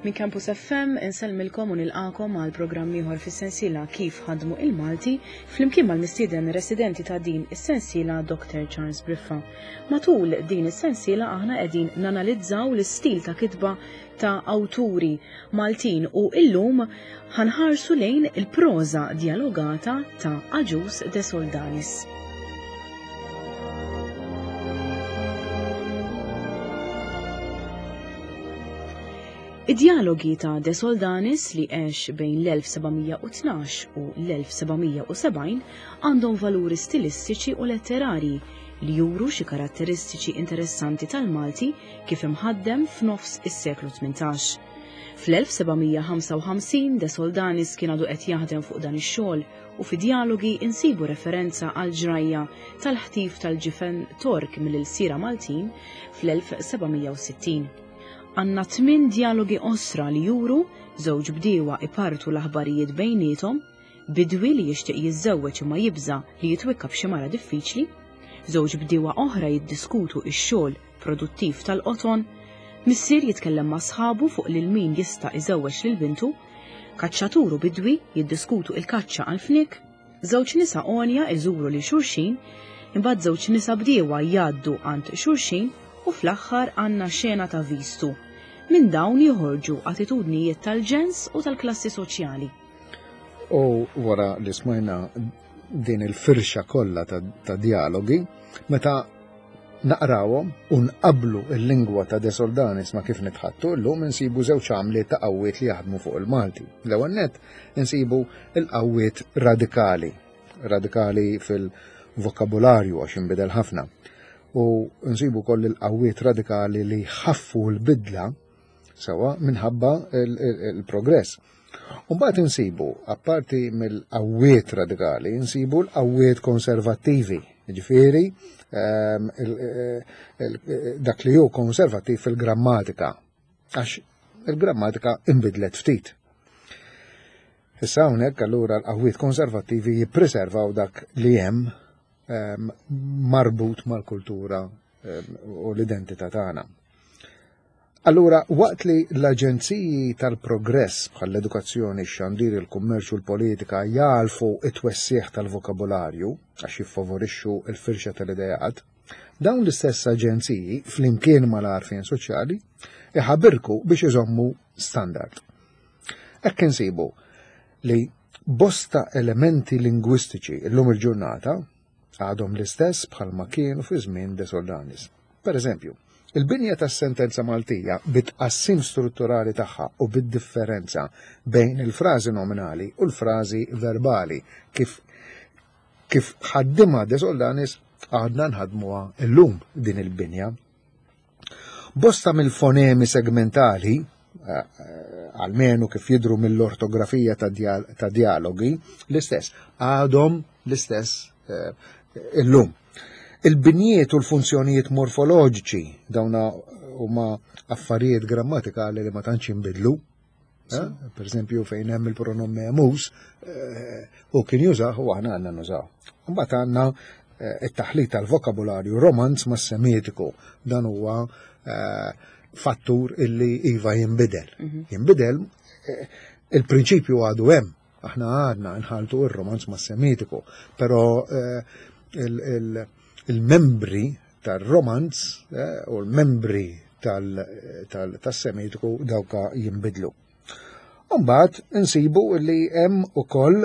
Minn Campus FM insellmilkom u nilqakom għal programm ieħor fis-sensiela Kif ħadmu il-Malti flimkien mal-mistieden residenti ta' din is-sensiela Dr. Charles Briffa. Matul din is-sensiela aħna qegħdin nanalizzaw l-istil ta' kitba ta' awturi Maltin u illum ħanħarsu lejn il-proża djalogata ta' Agius de Soldanis. Id-djalogi ta' De Soldanis li għex bejn l-1712 u l-1770 għandhom valuri stilistiċi u letterarji li juru xi karatteristiċi interessanti tal-Malti kif imħaddem f'nofs is-seklu 18. Fl-1755 De Soldanis kien għadu qed jaħdem fuq dan ix-xogħol u fi djalogi insibu referenza għal ġrajja tal-ħtif tal-ġifen Tork mill-ilsiera Maltin fl-1760. Għandna tminn djalogi qosra li juru żewġ bdiewa ipartu l-aħbarijiet bejniethom, bidwi li jixtieq jiżżewweġ imma jibża' li jitwikka b'xi mara diffiċli, żewġ bdiewa oħra jiddiskutu x-xogħol produttiv tal-qoton, missier jitkellem ma' sħabu fuq lil min jista' iżewweġ lil bintu, kaċċatur u bidwi jiddiskutu il-kaċċa għall-fniek, żewġ nisa għonja iżuru lil xulxin, imbagħad żewġ nisa bdiewa jgħaddu għand xulxin u fl-aħħar għandna xena ta' vistu. Minn dawn joħorġu attitudnijiet tal-ġens u tal-klassi soċjali. U wara li smajna din il-firxa kollha ta', ta dialogi, meta naqrawhom u nqablu l-lingwa ta' De Soldanis ma' kif nitħattu llum insibu żewġ għamliet ta' qawwiet li jaħdmu fuq il-Malti. L-ewwel nett insibu l-qawwiet radikali, radikali fil-vokabularju għax inbidel ħafna. U nsibu koll il-qawwiet radikali li ħaffu l-bidla Sewa minħabba il-progress. Umbagħad insibu, apparti mill-qawwiet radikali, insibu l-qawwiet konservattivi, ġifieri ehm, dak li hu konservattiv fil-grammatika, għax il-grammatika inbidlet ftit. Issa hawnhekk allura l-qawwiet konservattivi jippreservaw dak li hemm ehm, marbut mal-kultura ehm, u l-identità tagħna. Allura, waqt li l-aġenziji tal-progress bħall-edukazzjoni, x-xandir, il-kummerċ u l-politika jagħlfu t-twessigħ tal-vokabularju għax jiffavorixxu l-firxa tal-ideat, dawn l-istess aġenziji, flimkien mal-għarfien soċjali, iħabirku biex iżommu standard. Hekk insibu li bosta elementi lingwistiċi llum il-ġurnata għadhom l-istess bħalma kienu fi żmien De Soldanis. Per eżempju, il-binja tas-sentenza Maltija bit-tqassim strutturali tagħha u bid-differenza bejn il-frażi nominali u l-frażi verbali kif kif ħaddimha De Soldanis għadna nħadmuha illum din il-binja. Bosta mill-fonemi segmentali, eh, eh, almenu kif jidru mill-ortografija ta' dialogi, l-istess, għadhom l-istess eh, illum. Il-binjiet u l-funzjonijiet morfoloġiċi dawna huma affarijiet grammatikali li ma tantx jinbidlu. Eh? Per esempio fejn hemm il-pronom memus, eh, u kien jużah u aħna għandna nużaw. Mbagħad għandna eh, it-taħlit tal-vokabularju romanz ma' semitiku. Dan huwa fattur illi iva jinbidel. Mhm. Jinbidel, il-prinċipju għadu hemm. Aħna għadna nħaltu ir-romanz ma' semitiku, però il-membri tar-romanz eh, u l-membri tas-semitiku dawka jinbidlu. Umbagħad insibu li hemm ukoll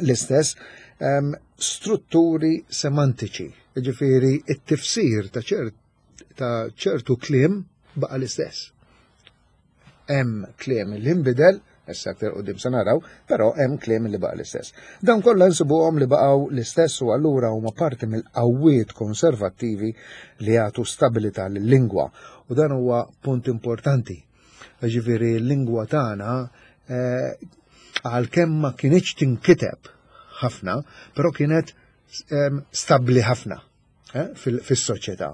l-istess strutturi semantiċi, ġifieri it-tifsir ta' ta' ċertu kliem baqa' l-istess. Hemm kliem li nbidel, issa aktar qudiem se naraw, però hemm kliem li baqa' l-istess. Dawn kollha nsibuhom li baqgħu l-istess u allura huma parti mill-qawwiet konservattivi li jagħtu stabilità lil-lingwa. U dan huwa punt importanti. Ġifieri l-lingwa tagħna eh, għalkemm ma kinitx tinkiteb ħafna, però kienet ehm, stabbli ħafna. eh, fis-soċjetà,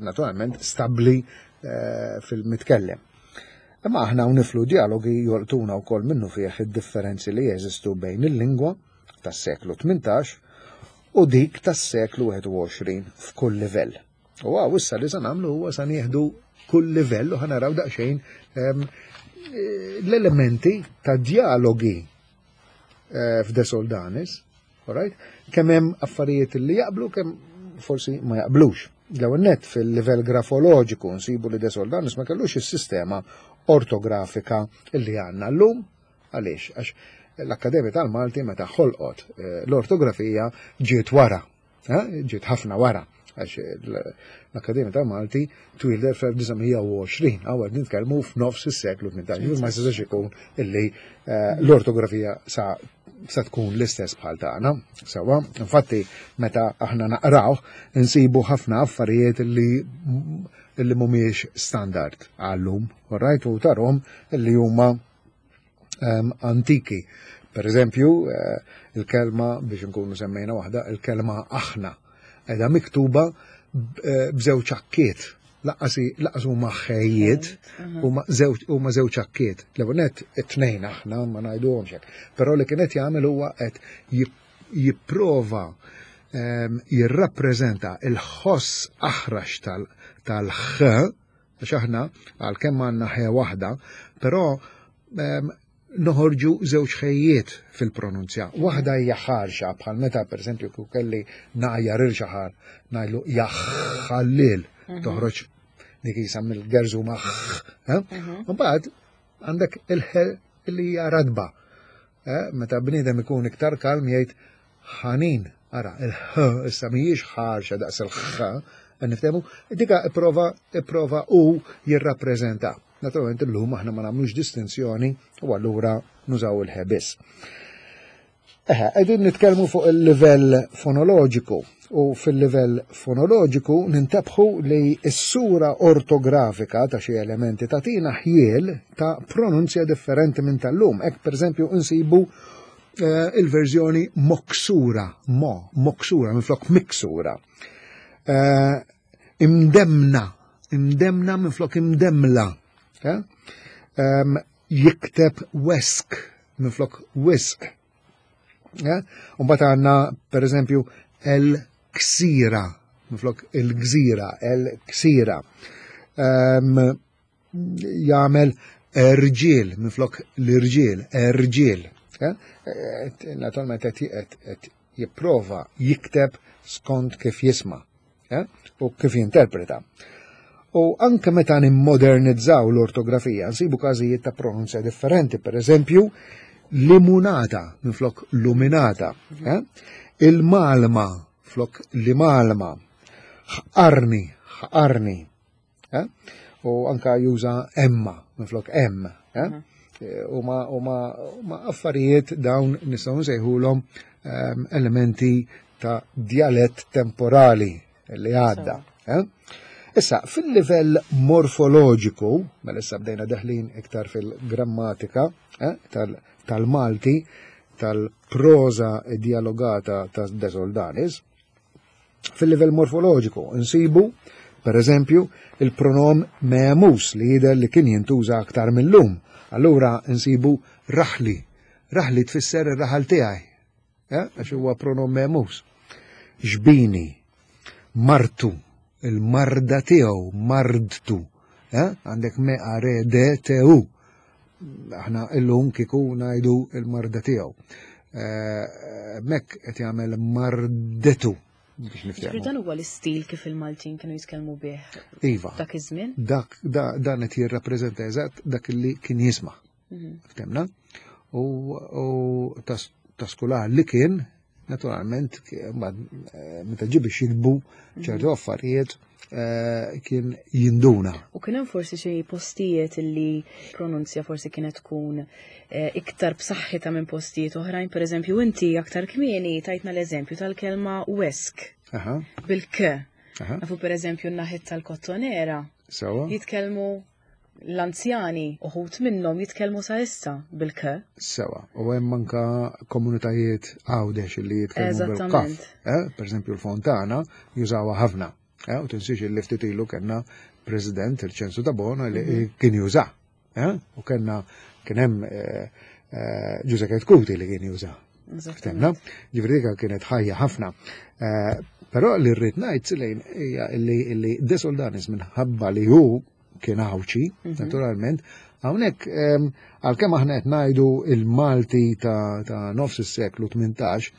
naturalment stabbli eh, fil-mitkellem. Imma aħna niflu dialogi jolqtuna wkoll minnu fih id-differenzi li jeżistu bejn il-lingwa tas-seklu 18 u dik tas-seklu 21 f'kull livell. U għaw issa li sa nagħmlu huwa sa nieħdu kull livell u ħa naraw daqsxejn l-elementi ta' dialogi f'De Soldanis, alright? Kemm hemm affarijiet li jaqblu, kemm forsi ma jaqblux. L-ewwel nett fil-livell grafoloġiku nsibu li De Soldanis ma kellux is-sistema ortografika li għandna llum. Għaliex? Għax l-Akkademja tal-Malti meta ħolqot l-ortografija ġiet wara, ġiet ħafna wara, għax l-Akkademja tal-Malti twieldet fl-1920, għaw qed nitkellmu f'nofs is-seklu 18, ma jistax ikun illi l-ortografija sa tkun l-istess bħal tagħna. Sewwa, infatti meta aħna naqraw insibu ħafna affarijiet li mhumiex standard għallum, alright, u tarhom li huma antiki. Per eżempju, il-kelma, biex nkunu semmejna waħda, il-kelma aħna, edha miktuba b'żewġ akkiet. Laqqas huma ħejjiet, huma żewġ akkiet. L-ewwel nett it-tnejn aħna ma ngħiduhomx hekk. Però li kien qed jagħmel huwa qed jipprova jirrappreżenta il-ħoss aħrax tal-ħ, għax aħna għalkemm għandna ħe waħda, però noħorġu żewġ ħejjiet fil-pronunzja. Waħda hija ħarxa, bħal meta pereżempju kieku kelli ngħajjar il xi ħadd ngħidlu jaħħallil, toħroġ dik jisa mill-gerżu ma' ħ. Mbagħad għandek il-ħe li hija radba. Meta bniedem ikun iktar kalm jgħid ħanin. Ara, il-ħ issa mhijiex ħarxa daqs il-ħ, niftehmu, dika ipprova u jirrappreżenta. Naturalment illum aħna ma nagħmlux distinzjoni u allura nużaw il-ħ biss. Eħe, qegħdin nitkellmu fuq il-livell fonoloġiku u fil-livell fonoloġiku nintebħu li s-sura ortografika ta' xi elementi tagħtina ħjiel ta' pronunzja differenti minn tal-lum. Hekk pereżempju insibu il-verżjoni moksura, mo, moksura minflok miksura. Imdemna, imdemna minflok imdemla. Jikteb wesk minflok wisq. Mbagħad għandna pereżempju el-ksira minflok il-gżira, el-ksira. Jagħmel erġiel minflok l-irġiel, erġiel. Naturalment qed jipprova jikteb skont kif jisma' u kif jinterpreta. U anke meta nimmodernizzaw l-ortografija, nsibu każijiet ta' pronunzja differenti, per eżempju, limunata minflok luminata, il-malma flok limalma, ħqarni, ħqarni, u anka juża emma minflok em, U ma affarijiet dawn nistgħu nsejħulhom elementi ta' djalett temporali li għadda. Issa, fil-livell morfoloġiku, mela issa bdejna deħlin iktar fil-grammatika tal-Malti, tal-proża dialogata ta' De Soldanis, fil-livell morfoloġiku nsibu, per eżempju, il-pronom memus li jidher li kien jintuża aktar mill-lum. Allura nsibu raħli. Raħli tfisser ir-raħal tiegħi, għax huwa pronom memus. Ġbini, martu, il-marda tiegħu, mardtu. Għandek me a re d t u. Aħna illum kieku ngħidu il-marda tiegħu. Mek qed jagħmel mardetu biex niftehmu. Dan huwa l-istil kif il-Maltin kienu jitkellmu bih. Iva. Dak iż-żmien? Dak dan qed jirrappreżenta eżatt dak li kien jisma'. Ftemna? U ta' skular li kien, naturalment, meta ġie biex jiktbu ċertu affarijiet kien jinduna. U kien hemm forsi xi postijiet li pronunzja forsi kienet tkun iktar b'saħħitha minn postijiet oħrajn, per eżempju inti aktar kmieni tajtna l-eżempju tal-kelma wesk. Bil-k. Nafu per eżempju n-naħit tal-Kottonera. Jitkellmu l-anzjani, uħut minnhom jitkellmu sa issa bil-k. Sewa, u hemm anka komunitajiet Għawdex li jitkellmu bil-kaf. Per eżempju l-Fontana jużawha ħafna. U tinsiex li ftit ilu kellna President il-Ċensu Tabona li kien juża. U kellna kien hemm Ġużè Ketkuti li kien juża. Ftemna? Ġifieri dik kienet ħajja ħafna. Però li rrid ngħid lejn hija li De Soldanis minħabba li hu kien Għawdxi, naturalment, hawnhekk għalkemm aħna qed ngħidu il-Malti ta' nofs is-seklu 18,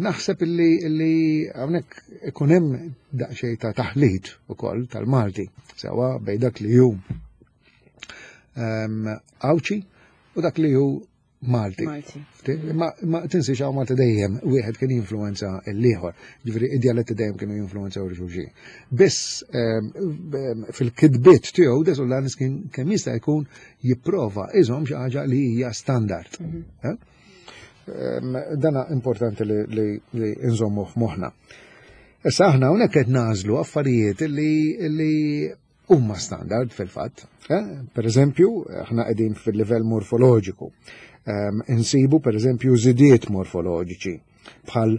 naħseb illi hawnhekk ikun hemm daqsxejn ta' taħlit ukoll tal-Malti, sewwa bejn dak li hu Għawdxi u dak li hu Malti. Ma, ma tinsiex hawn Malti dejjem wieħed kien jinfluwenza l-ieħor. Ġifieri id-djaletti dejjem kienu jinfluwenzaw xulxin. Biss fil-kitbiet tiegħu De Soldanis kien kemm jista' jkun jipprova iżomm xi ħaġa li hija standard. Eh? Dana importanti li nżommu f'moħħna. Issa aħna hawnhekk qed nażlu affarijiet li huma standard fil-fatt. Eh? Per eżempju, aħna qegħdin fil-livell morfoloġiku. Insibu per eżempju żidiet morfoloġiċi bħal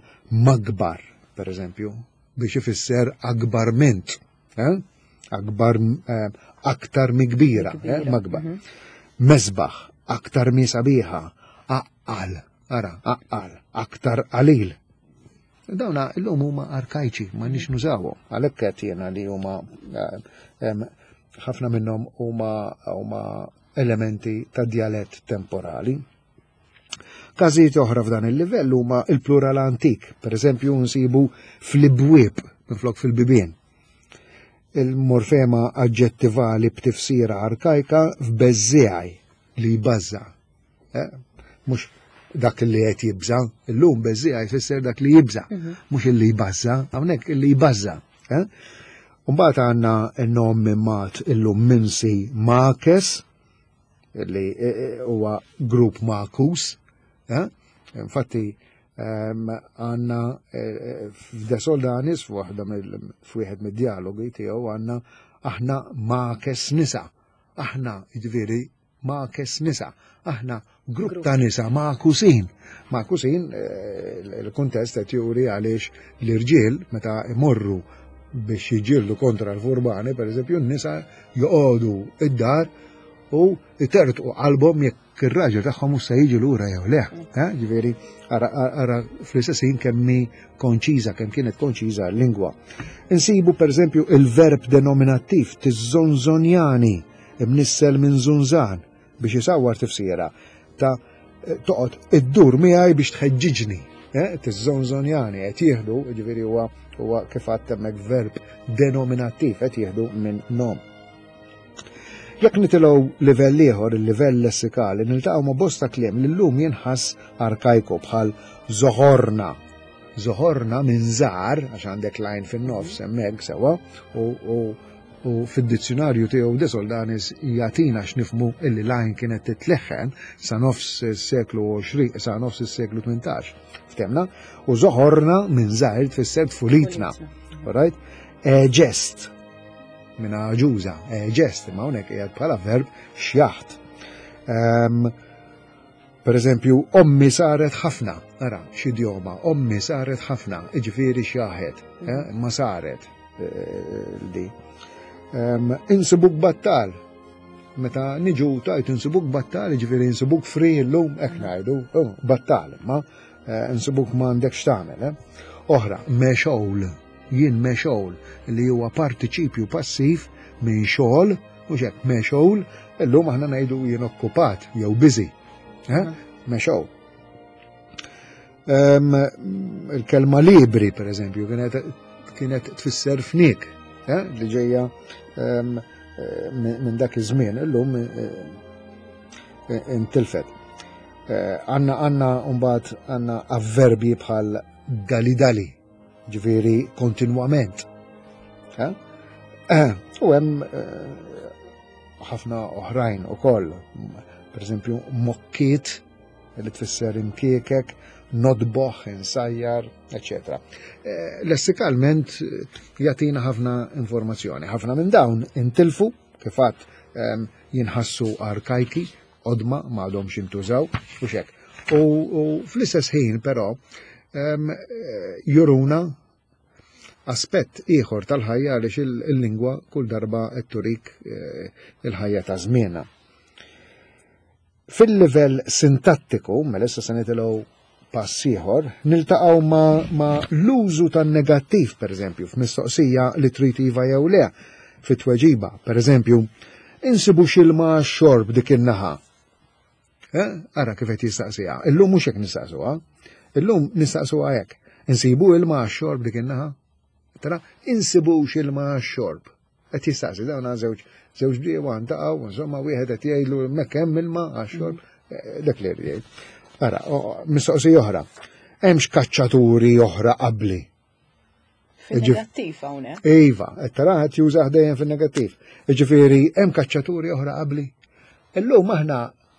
magbar, per eżempju, biex ifisser akbar mint. Eh? Akbar eh, aktar mikbira, eh? magbar. Mesbaħ, aktar mi sabiħa, aqqal, ara, aqqal, aktar qalil. Dawna illum huma arkajċi, ma nix nużawhom. Għalhekk qed jiena li huma ħafna minnhom huma huma elementi ta' djalett temporali. Każijiet oħra f'dan il-livell huma il-plural antik, per eżempju nsibu fl-ibwieb minflok fil-bibien. Il-morfema aġġettivali b'tifsira arkajka f'beżżiegħi li jbażża'. Eh, mhux dak li qed jibża, illum beżżiegħa jfisser dak li jibża, mhux illi jbażża, hawnhekk illi jbażża. Eh? Mbagħad għandna n-nom minn mat illum minsi Makes, li eh, huwa grupp Makus. Infatti għandna f'De Soldanis f'waħda f'wieħed mid-dialogi tiegħu għandna aħna Makes nisa. Aħna jiġifieri Makes nisa. Aħna grupp ta' nisa magħkusin. Magħkusin eh, il-kuntest qed juri għaliex l-irġiel meta imorru biex jiġġieldu kontra l-furbani, per eżempju, n-nisa joqogħdu id-dar u jtertqu qalbhom jekk ir-raġel tagħhom mhux se jiġi lura jew le. Eh, ġifieri, ara fl-istess ħin kemm hi konċiża, kemm kienet konċiża l-lingwa. Insibu pereżempju il-verb denominattiv tiżonżonjani imnissel minn żunżan biex isawwar tifsira ta' toqgħod iddur miegħi biex tħeġġiġni. Eh, tiżonżonjani qed jieħdu, ġifieri huwa huwa kif għadt hemmhekk verb denominattiv qed jieħdu minn nom. Jekk nitilgħu livell ieħor, il-livell lessikali, niltaqgħu ma' bosta kliem li llum jinħass arkajku bħal zoħorna. Zoħorna minn żgħar, għax għandek lajn fin-nofs hemmhekk sewwa, u U fid-dizzjunarju tiegħu De Soldanis jagħtina x'nifhmu illi l-għajn kienet titleħħen sa nofs is-seklu 20, sa nofs is-seklu 18. Ftemna? U zoħorna minn żgħir tfisser tfulitna. Alright? Ġest minn għaġuża, ġest, imma hawnhekk qiegħed bħala verb xjaħt. Ehm, per eżempju, ommi saret ħafna, ara, x'idjoma, ommi saret ħafna, iġifieri xjaħet, eh, ma saret. Di. Insibuk battal. Meta niġu tajt insibuk battal, ġifieri insibuk free illum hekk ngħidu, oh, battal, ma eh, insibuk m'għandek x'tagħmel. Eh. Oħra, mexol, jien mexol li huwa partiċipju passiv minn xogħol, mhux hekk mexol, illum aħna ngħidu jien okkupat jew busy. Eh? Mexol. Il-kelma libri, per eżempju, kienet tfisser fnik, eh, li ġejja eh, minn dak iż-żmien, illum eh, intilfet. Għanna għanna mbagħad għanna avverbi bħal dali dali, ġifieri kontinwament. U hemm ħafna oħrajn ukoll, per eżempju mokkiet li tfisser imkiekek, nodboħ, insajjar, eccetera. Eh, lessikalment eh, jatina ħafna informazzjoni. Ħafna minn dawn intilfu, kifat ehm, jinħassu arkajki, odma ma għadhomx jintużaw, u xek. U fl-istess ħin però ehm, eh, juruna aspett ieħor tal-ħajja għaliex il-lingwa kull darba qed turik il-ħajja ta' żmienha. Fil-livell sintattiku, mela issa se nitilgħu pass ieħor, niltaqgħu ma, ma l-użu tan-negattiv, pereżempju, f'mistoqsija li trid iva jew le. fit-tweġiba. Per eżempju, insibu x'ilma xorb dik in-naħa. Eh? Ara kif qed jistaqsiha. Illum mhux hekk nistaqsuha. Illum nistaqsuha hekk. Insibu ilma għax-xorb dik in-naħa? Tara, insibux ilma għax-xorb. Qed jistaqsi dawn żewġ żewġ bdiewa ntaqgħu, insomma wieħed qed jgħidlu hemmhekk hemm ilma għax-xorb, eh, dak li jgħid. Ara, mistoqsija oħra. Hemmx kaċċaturi oħra qabli. Fin-negattiv hawnhekk. Iva, qed tara qed jużah dejjem fin-negattiv. Jiġifieri hemm kaċċaturi oħra qabli. Illum aħna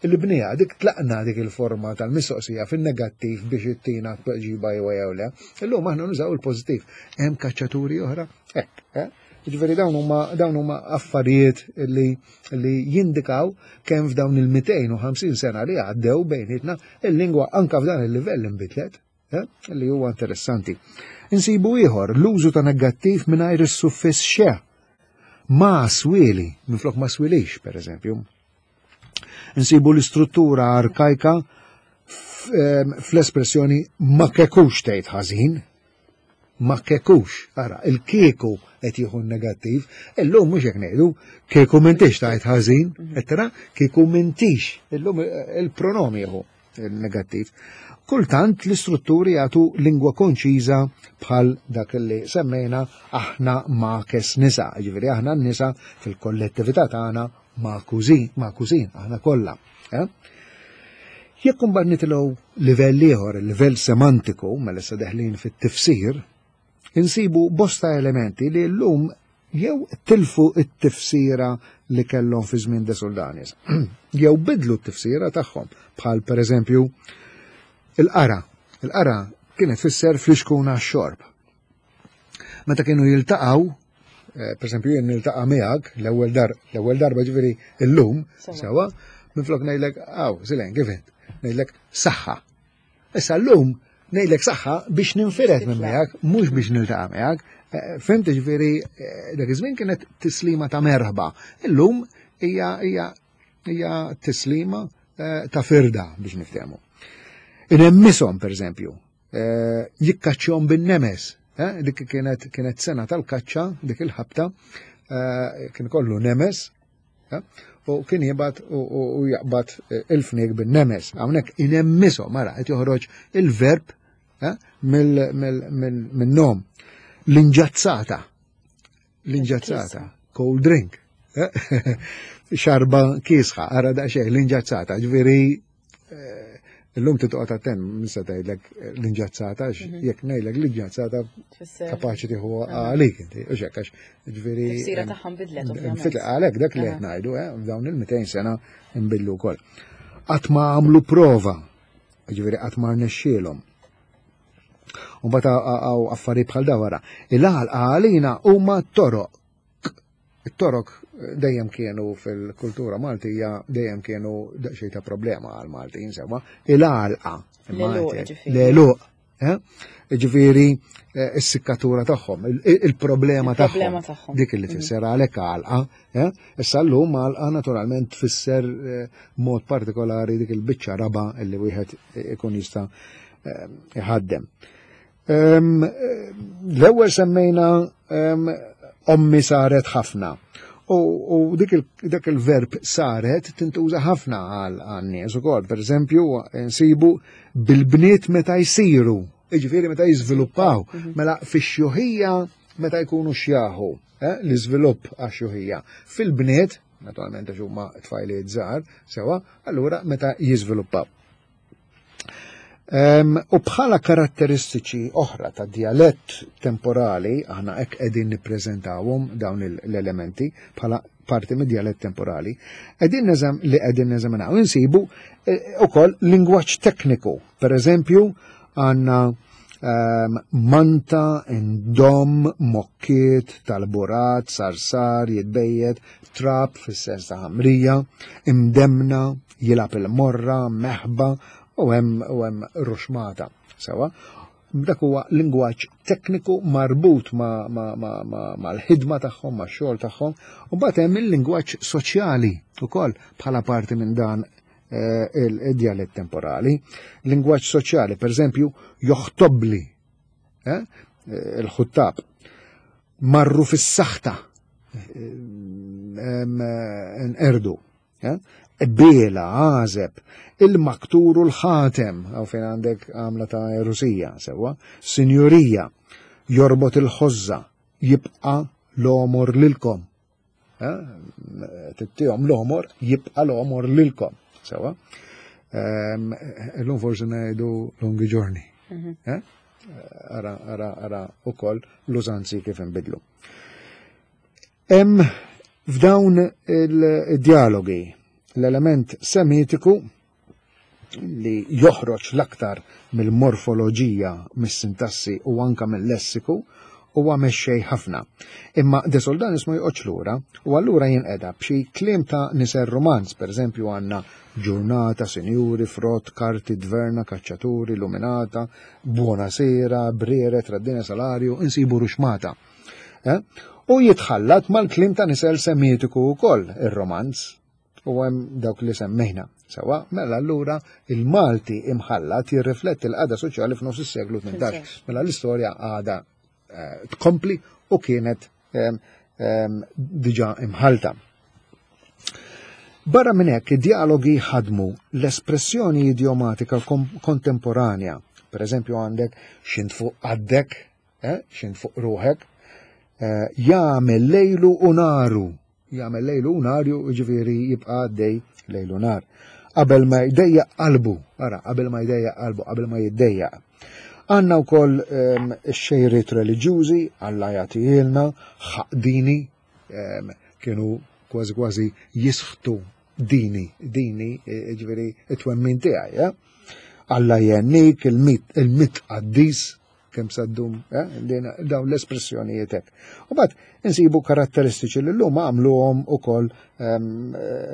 l-bnija dik tlaqna dik il-forma tal-mistoqsija fin-negattiv biex ittina tweġiba jew jew le. Illum aħna nużaw il-pożittiv. Hemm kaċċaturi oħra? Hekk, eh? Jiġifieri dawn huma dawn huma affarijiet li li jindikaw kemm f'dawn il-250 sena li għaddew bejnietna il-lingwa anka f'dan il-livell inbidlet. Eh, li huwa interessanti. Insibu ieħor l-użu ta' negattiv mingħajr is-suffiss xe. Ma swili, minflok ma swilix, per eżempju. Insibu l-istruttura arkajka fl-espressjoni ma kekux tgħid ħażin, ma kekux, ara, il-kieku qed jieħu negattiv, illum mhux hekk ngħidu, kieku m'intix tgħid ħażin, qed tara, kieku m'intix, illum il-pronomi jieħu negattiv. Kultant l-istrutturi jagħtu lingwa konċiża bħal dak li semmejna aħna makes nisa, ġifieri aħna n-nisa fil-kollettività tagħna makużin, makużin aħna kollha. Eh? Jekk imbagħad nitilgħu livell ieħor, il-livell semantiku, mela issa deħlin fit-tifsir, insibu bosta elementi li llum jew tilfu t-tifsira li kellhom fi żmien De Soldanis, jew bidlu t-tifsira tagħhom, bħal pereżempju il-qara. Il-qara kienet tfisser flixkun għax-xorb. Meta kienu jiltaqgħu, eh, pereżempju jien niltaqa' miegħek l-ewwel dar, l-ewwel darba ġifieri illum, sewa, minflok ngħidlek, aw, Silen, kif int? Ngħidlek saħħa. Issa llum ngħidlek saħħa biex ninfired minn miegħek, mhux biex niltaqa' miegħek. Eh, fimt ġifieri eh, dak iż-żmien kienet tislima ta' merħba. Illum hija hija hija tislima eh, ta' firda biex niftehmu. Inemmisom pereżempju, jikkaċċjhom bin-nemes. Dik kienet kienet sena tal-kaċċa, dik il-ħabta, kien kollu nemes, U kien jibgħat u jaqbad eh, il-fniek bin-nemes. Hawnhekk inemmisom, mara qed joħroġ il-verb eh, mill-nom. L-inġazzata. L-inġazzata. Cold drink. Eh, xarba kiesħa, ara daqsxejn l-inġazzata, ġifieri Illum titqgħod attent minn tgħidlek l-inġazzata għax mhm. jekk ngħidlek l-inġazzata kapaċi tieħu għalik inti, u xekk għax ġifieri. Tifsira tagħha nbidlet ovvjament. Għalhekk dak li qed ngħidu, eh, f'dawn il-200 sena nbidlu wkoll. Qatt ma għamlu prova, ġifieri qatt ma rnexxielhom. U mbagħad għaw affarijiet bħal dawara. Il-għalqa għalina huma toroq It-Torok dejjem kienu fil-kultura Maltija dejjem kienu daqsxejn ta' problema għal Maltin sewwa. Il-għalqa. L-għeluq. Eh? Ġifieri eh, s-sikkatura tagħhom, il-problema tagħhom. Dik li mhm. tfisser għalhekk għalqa. Eh? Issa llum għalqa naturalment tfisser mod partikolari dik il-biċċa raba li wieħed ikun jista' iħaddem. L-ewwel semmejna ommi saret ħafna. U dik il-verb saret tintuża ħafna għal nies ukoll. Per eżempju, nsibu bil-bniet meta jsiru, jiġifieri meta jiżviluppaw, mhm. mela fix-xjuħija meta jkunu xjaħu, eh, l-iżvilupp għax-xjuħija. Fil-bniet, naturalment għax huma tfajliet żgħar, sewa, allura meta jiżviluppaw. U bħala karatteristiċi oħra ta' dialett temporali, aħna hekk qegħdin nippreżentawhom dawn l-elementi bħala parti mid dialett temporali, qegħdin neżam li qegħdin neżaminaw insibu eh, ukoll lingwaġġ tekniku. Per eżempju, għandna manta, indom, mokkiet, tal-burat, sarsar, jitbejjed, trab fis-sens ta' ħamrija, imdemna, jilgħab il-morra, meħba u hemm u hemm ruxmata. Sewa, dak huwa lingwaġġ tekniku marbut mal-ħidma tagħhom, max-xogħol tagħhom, u mbagħad hemm il-lingwaġġ soċjali wkoll bħala parti minn dan eh, il-djalett temporali. Lingwaġġ soċjali, per eżempju, joħtobli eh, il-ħuttab. Marru fis-saħta. Nqerdu. Biela, għażeb, il-maktur u l-ħatem, għaw fejn għandek għamla ta' erusija, sewwa, sinjurija, jorbot il-ħożża, jibqa' l-għomor lilkom. Tittihom l-għomor, jibqa' l-għomor lilkom. Sewwa. Illum forsi ngħidu lunghi giorni. Mhm. Ara, ara, ara ukoll l-użanzi kif inbidlu. Hemm f'dawn il-dialogi l-element semitiku li joħroġ l-aktar mill-morfoloġija, mis-sintassi u anka mill-lessiku huwa mexxej ħafna. Imma De Soldanis ma joqgħodx lura u allura jinqeda b'xi kliem ta' nisel Romanz, pereżempju għandna ġurnata, sinjuri, frott, karti, dverna, kaċċaturi, luminata, buona sera, briere, traddina salarju, insibu ruxmata. Eh? U jitħallat mal-kliem ta' nisel semitiku wkoll ir-romanz u hemm dawk li semmejna. Sewa, mela allura il-Malti imħallat jirrifletti l-qagħda soċjali f'nofs is-seklu 18. Mela l-istorja għada eh, tkompli u kienet ehm, ehm, diġà imħalta. Barra minn hekk, id-dialogi ħadmu l-espressjoni idiomatika kontemporanja. Per eżempju għandek xint fuq għaddek, eh, xint fuq ruħek, eh, jagħmel lejlu u naru, jagħmel lejlu u naru, ġifieri jibqa' għaddej lejlu nar. Qabel ma jdejjaq qalbu, ara, qabel ma jdejjaq qalbu, qabel ma jiddejjaq. Għandna wkoll ehm, ix-xejriet reliġjużi, Alla jagħtihielna, ħaqdini, ehm, kienu kważi kważi jisħtu dini, dini, e, ġifieri it-twemmin tiegħi, eh? Alla jennik, il-mit qaddis, kemm sa ddum, eh, dawn l-espressjonijiet hekk. U bad insibu karatteristiċi li llum għamluhom ukoll ehm,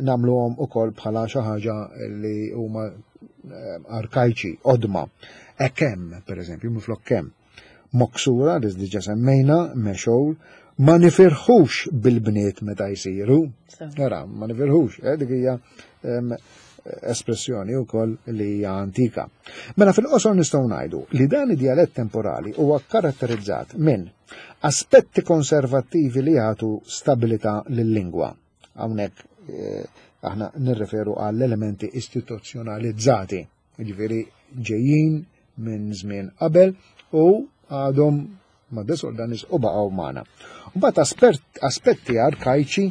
nagħmluhom ukoll bħala xi ħaġa li huma ehm, arkajċi, qodma. Ekem, per eżempju, minflok kemm. Moksura, li diġa semmejna, mexowl, ma nifirħux bil-bniet meta jsiru. Ara, ma nifirħux, eh, dik hija ehm, espressjoni wkoll li hija antika. Mela fil-qosor nistgħu ngħidu li dan id-djalett temporali huwa karatterizzat minn aspetti konservattivi li jagħtu stabilità lil-lingwa. Hawnhekk eh, aħna nirreferu għall elementi istituzzjonalizzati, jiġifieri ġejjin minn żmien qabel u għadhom ma' De Soldanis u baqgħu magħna. Mbagħad aspetti arkajċi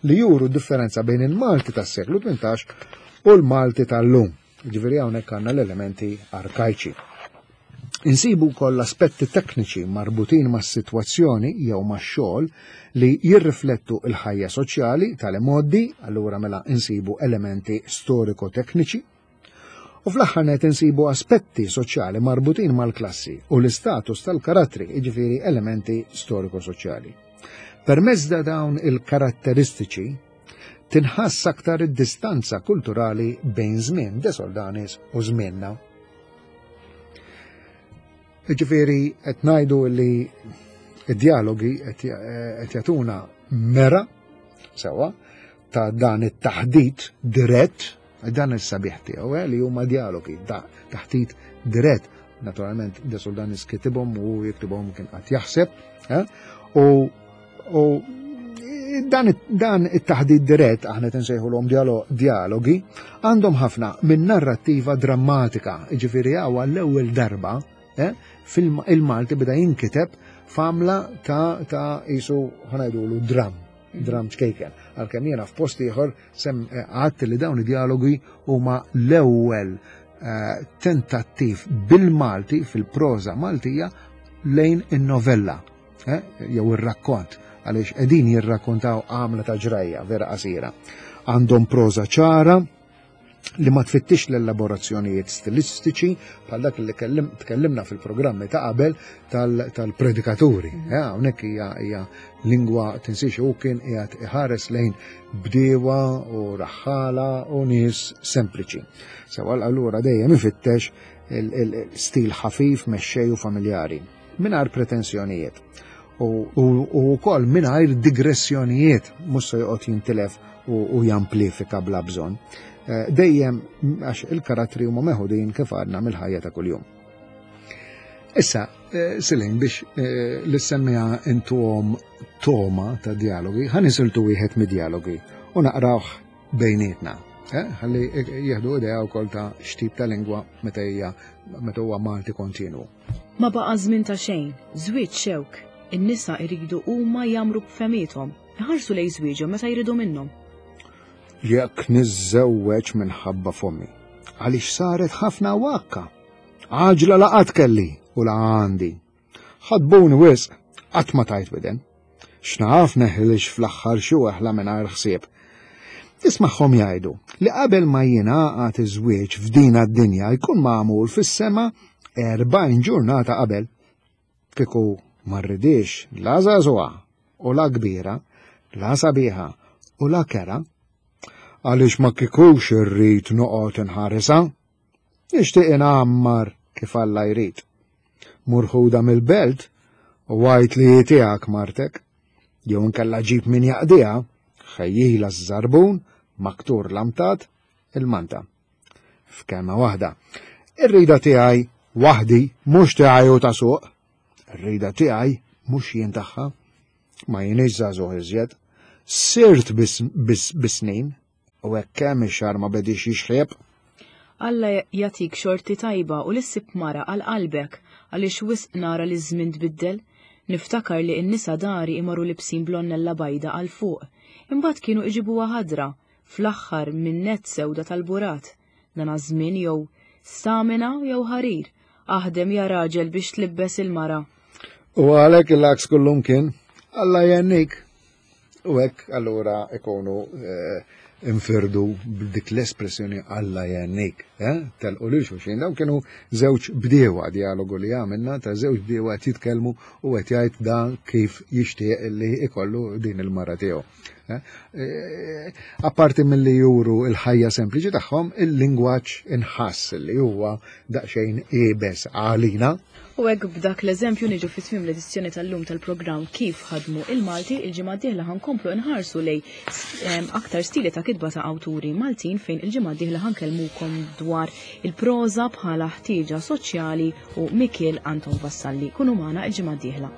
li juru differenza bejn il-Malti tas-seklu 18 u l-Malti tal-lum. Ġifieri hawnhekk għandna l-elementi arkajċi. Insibu wkoll aspetti tekniċi marbutin mas-sitwazzjoni jew max-xogħol li jirriflettu l-ħajja soċjali tal-imgħoddi, allura mela insibu elementi storiko-tekniċi. U fl-aħħar net insibu aspetti soċjali marbutin mal-klassi u l-istatus tal-karattri, jiġifieri elementi storiko-soċjali. Permezz da dawn il-karatteristiċi tinħass aktar id-distanza kulturali bejn żmien De Soldanis u żmienna. Jiġifieri qed ngħidu li id-dialogi qed jagħtuna mera sewwa ta' dan it-taħdit dirett, dan is-sabiħ tiegħu eh, li huma dialogi, taħdit dirett. Naturalment, De Soldanis kitibhom u jiktibhom kien qatt jaħseb, eh, u u dan, dan it-taħdit dirett, aħna tinsejħulhom dialogi, għandhom ħafna minn narrattiva drammatika, ġifieri hawn l-ewwel darba eh, fil-Malti beda jinkiteb f'għamla ta' ta' isu ħanajdulu dram dram ċkejken. Għalkemm jiena f'post ieħor sem eh, għadt li dawn id-dialogi huma l-ewwel eh, tentattiv bil-Malti fil-proża Maltija lejn in-novella eh, jew ir-rakkont għaliex qegħdin jirrakkontaw għamla ta' ġrajja vera qasira. Għandhom proża ċara, li ma tfittix l-elaborazzjonijiet stilistiċi bħal dak li tkellimna fil-programmi ta' qabel tal-predikaturi. Mhm. Eh, hawnhekk hija hija lingwa tinsiex u kien qiegħed iħares lejn bdiewa u raħħala u nies sempliċi. Sewa allura dejjem ifittex il-stil ħafif, mexxej u familjari, mingħajr pretensjonijiet. U wkoll mingħajr digressjonijiet mhux se joqgħod jintilef u jamplifika bla bżonn. Eh, dejjem għax il-karattri huma meħudin kif għadna mill-ħajja ta' kuljum. Issa, eh, Silin, biex eh, l-semmija intuhom toma ta' dialogi, ħan isiltu wieħed mid-dialogi u naqrawh bejnietna. Eh, ħalli jieħdu idea wkoll ta' x'tip ta' lingwa meta hija meta huwa Malti kontinwu. Ma baqa' żmien ta' xejn, żwieġ xewk, in-nisa jridu huma jagħmru b'fehmiethom, iħarsu lejn żwieġhom meta jridu minnhom. Jekk niżżewweġ minħabba fommi, għaliex saret ħafna wakka. Għaġla la qatt kelli u la għandi. Ħadbuni wisq, qatt ma tajt widen. X'naf neħlix fl-aħħar xi weħla mingħajr ħsieb. Nismagħhom jgħidu li qabel ma jingħaqad iż-żwieġ f'dina d-dinja jkun magħmul fis-sema 40 ġurnata qabel. Kieku ma rridix la żagħżugħa u la kbira, la sabiħa u la kera, għaliex ma kikux irrid noqgħod inħarisha. Nixtieq ingħammar kif Alla jrid. Mur ħuda mill-belt u għid li hi tiegħek martek. Jew inkella ġib min jaqdiha, ħejjila ż-żarbun, maktur l-amtat, il-manta. F'kelma waħda, ir-rida tiegħi waħdi mhux tiegħi u ta' suq. Ir-rida tiegħi mhux jien tagħha. Ma jienix żagħżugħ iżjed. Sirt bis-snin. U hekk kemm ix-xahar ma bediex jixħieb. Alla jagħtik xorti tajba u li ssib mara għal qalbek għaliex wisq nara li ż-żmien tbiddel. Niftakar li n-nisa dari imorru libsin blonnella bajda għal fuq. Imbagħad kienu iġibuha ħadra, fl-aħħar minn nett sewda tal-burat. Dan għaż-żmien jew stamina jew ħarir. Aħdem ja raġel biex tlibbes il-mara. U għalhekk il-għaks kullumkien, Alla jgħennik. U hekk allura ikunu eh, infirdu b'dik l-espressjoni Alla jgħennik. Eh? Telqu lil xulxin. Dawn kienu żewġ bdiewa dialogu li għamilna ta' żewġ bdiewa qed jitkellmu u qed jgħid dan kif jixtieq li ikollu din il-mara tiegħu. Eh? Eh, apparti milli juru il-ħajja sempliċi tagħhom, il-lingwaġġ inħass li huwa daqsxejn iebes għalina. U hekk b'dak l-eżempju niġu fi tmiem l-edizzjoni tal-lum tal-programm Kif Ħadmu il-Malti, il-ġimgħa d-dieħla ħankomplu nħarsu lej aktar stili ta' kitba ta' awturi Maltin fejn il-ġimgħa d-dieħla ħankellmukom dwar il-proża bħala ħtieġa soċjali u Mikiel Anton Vassalli. Kunu magħna il-ġimgħa d-dieħla.